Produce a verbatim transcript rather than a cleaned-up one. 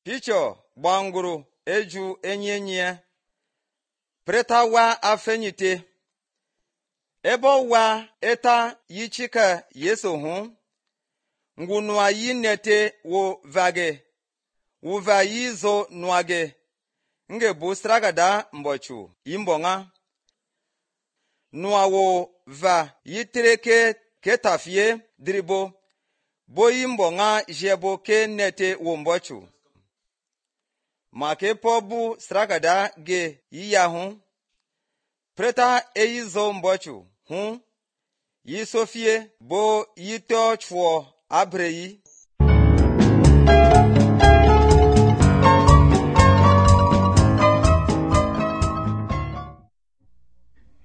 picho gbanguru eju enyenye preta wa afenyite ebo wa eta yichika yeso hu ngunua yinete wo vage wuva yizo nuage nge bu stragada mbochu yimbonga nua wo va yitreke ketafie dribo bo yimbonga jebo ke nete wo mbochu make pobu stragada ge yiyahu preta eyizo mbochu hu yi sofie bo yito chwo abreyi